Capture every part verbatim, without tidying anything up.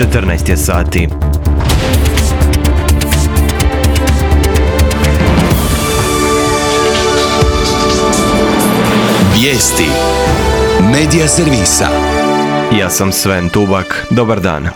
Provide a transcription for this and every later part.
četrnaest je sati. Vijesti Medija servisa. Ja sam Sven Tubak. Dobar dan.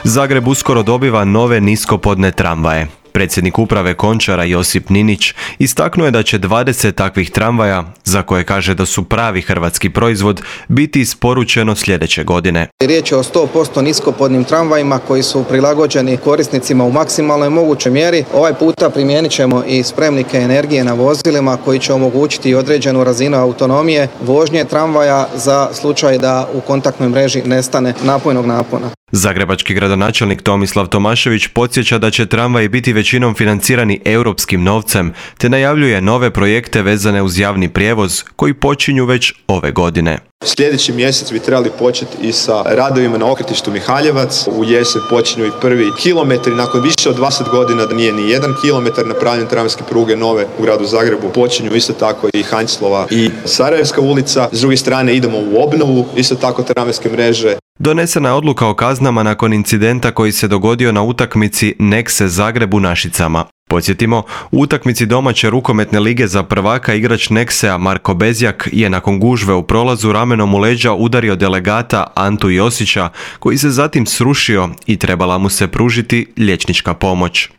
Zagreb uskoro dobiva nove niskopodne tramvaje. Predsjednik uprave Končara Josip Ninić istaknuo je da će dvadeset takvih tramvaja, za koje kaže da su pravi hrvatski proizvod, biti isporučeno sljedeće godine. Riječ je o sto posto niskopodnim tramvajima koji su prilagođeni korisnicima u maksimalnoj mogućoj mjeri. Ovaj puta primijenit ćemo i spremnike energije na vozilima koji će omogućiti određenu razinu autonomije vožnje tramvaja za slučaj da u kontaktnoj mreži nestane napojnog napona. Zagrebački gradonačelnik Tomislav Tomašević podsjeća da će tramvaji biti većinom financirani europskim novcem, te najavljuje nove projekte vezane uz javni prijevoz koji počinju već ove godine. Sljedeći mjesec bi trebali početi i sa radovima na okretištu Mihaljevac. U jesen počinju i prvi kilometri. Nakon više od dvadeset godina da nije ni jedan kilometar napravljen tramvajske pruge nove u gradu Zagrebu. Počinju isto tako i Hanjslova i Sarajevska ulica. S druge strane idemo u obnovu isto tako tramvajske mreže. Donesena je odluka o kaznama nakon incidenta koji se dogodio na utakmici Nexe Zagreb u Našicama. Podsjetimo, u utakmici domaće rukometne lige za prvaka igrač Nexea Marko Bezjak je nakon gužve u prolazu ramenom u leđa udario delegata Antu Josića, koji se zatim srušio i trebala mu se pružiti liječnička pomoć.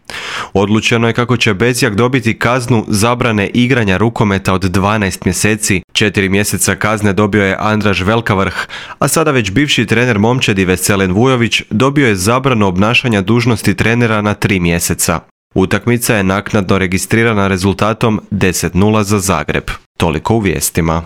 Odlučeno je kako će Bezjak dobiti kaznu zabrane igranja rukometa od dvanaest mjeseci. Četiri mjeseca kazne dobio je Andraž Velkavrh, a sada već bivši trener momčadi Veselin Vujović dobio je zabranu obnašanja dužnosti trenera na tri mjeseca. Utakmica je naknadno registrirana rezultatom deset nula za Zagreb. Toliko u vijestima.